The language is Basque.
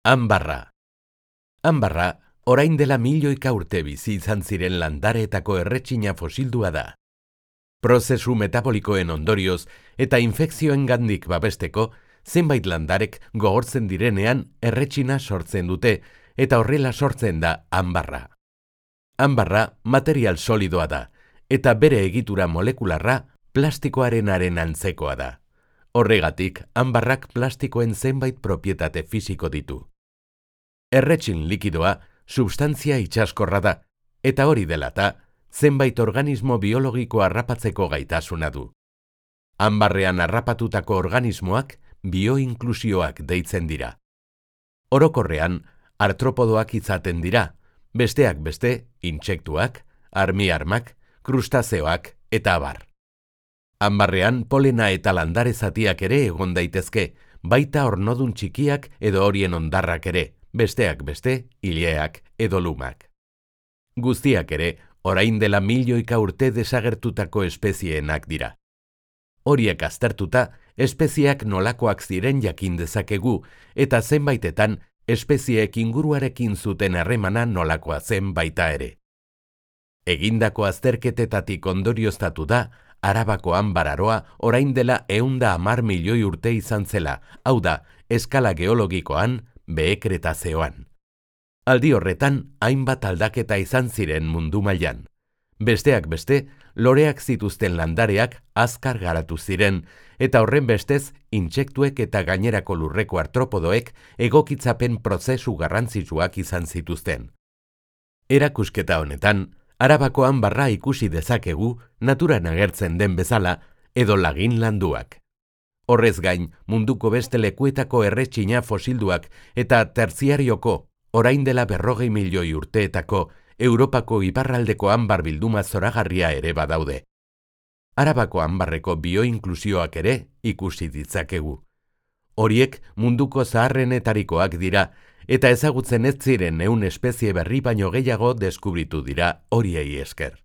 Anbarra. Anbarra, orain dela milioika urte bizi izan ziren landareetako erretxina fosildua da. Prozesu metabolikoen ondorioz eta infekzioengandik babesteko, zenbait landarek gogortzen direnean erretxina sortzen dute eta horrela sortzen da anbarra. Anbarra material solidoa da eta bere egitura molekularra plastikoarenaren antzekoa da. Horregatik, anbarrak plastikoen zenbait propietate fisiko ditu. Erretxin likidoa substantzia itsaskorra da, eta hori dela eta, zenbait organismo biologiko harrapatzeko gaitasuna du. Anbarrean harrapatutako organismoak bioinklusioak deitzen dira. Orokorrean, artropodoak izaten dira, besteak beste, intsektuak, armiarmak, krustazeoak eta abar. Anbarrean polena eta landare zatiak ere egon daitezke, baita ornodun txikiak edo horien hondarrak ere, besteak beste, ileak edo lumak. Guztiak ere, orain dela milioika urte desagertutako espezieenak dira. Horiek aztertuta, espezieak nolakoak ziren jakin dezakegu, eta zenbaitetan, espezieek inguruarekin zuten harremana nolakoa zen baita ere. Egindako azterketetatik ondorioztatu da, Arabako anbararoa orain dela 110 milioi urte izan zela, hau da, eskala geologikoan, Behe-Kretazeoan. Aldi horretan, hainbat aldaketa izan ziren mundu mailan. Besteak beste, loreak zituzten landareak azkar garatu ziren, eta horren bestez, intsektuek eta gainerako lurreko artropodoek egokitzapen prozesu garrantzitsuak izan zituzten. Erakusketa honetan, Arabako anbarra ikusi dezakegu naturan agertzen den bezala edo lagin landuak. Horrez gain, munduko beste lekuetako erretxina fosilduak eta tertziarioko, orain dela 40 milioi urteetako, Europako iparraldeko anbar bilduma zoragarria ere badaude. Arabako anbarreko bioinklusioak ere ikusi ditzakegu. Horiek munduko zaharrenetarikoak dira, eta ezagutzen ez ziren 100 espezie berri baino gehiago deskubritu dira horiei esker.